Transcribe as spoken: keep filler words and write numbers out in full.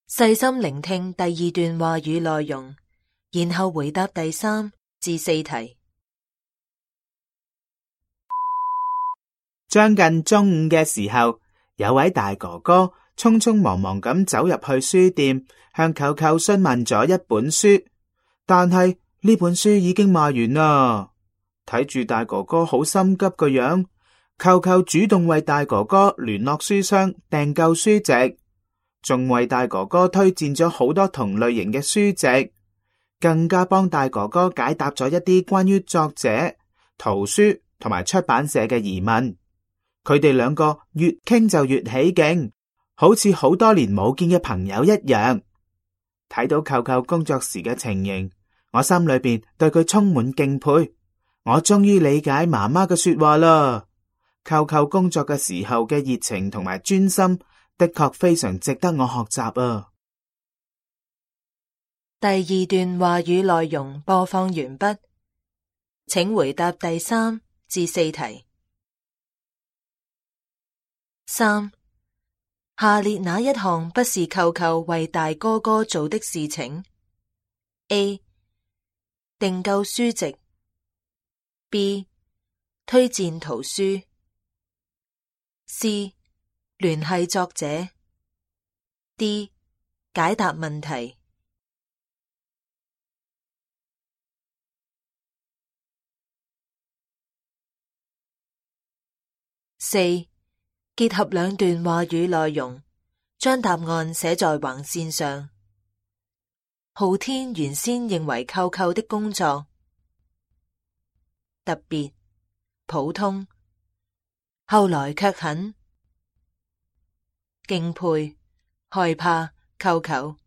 細心聆聽第二段話語內容，然後回答第三至四題。將近中午嘅時候，有位大哥哥匆匆忙忙咁走入去書店，向舅舅詢問咗一本書，但係呢本書已經賣完啦。睇住大哥哥好心急個樣，舅舅主動為大哥哥聯絡書商訂購書籍，仲為大哥哥推薦咗好多同類型嘅書籍，更加幫大哥哥解答咗一啲關於作者、圖書同埋出版社嘅疑問。佢哋兩個越傾就越起勁，好似好多年冇見嘅朋友一樣。睇到舅舅工作時嘅情形，我心裏邊對佢充滿敬佩。我終於理解媽媽嘅說話啦。舅舅工作嘅時候嘅熱情同埋專心，的確非常值得我學習啊。第二段話語內容播放完畢，請回答第三至四題。三，下列哪一項不是舅舅為大哥哥做的事情 ？A. 訂購書籍 B. 推薦圖書 C. 聯繫作者 D. 解答問題。四，結合兩段話語內容，將答案寫在橫線上。浩天原先認為舅舅的工作特別、普通，後來卻很敬佩、害怕舅舅。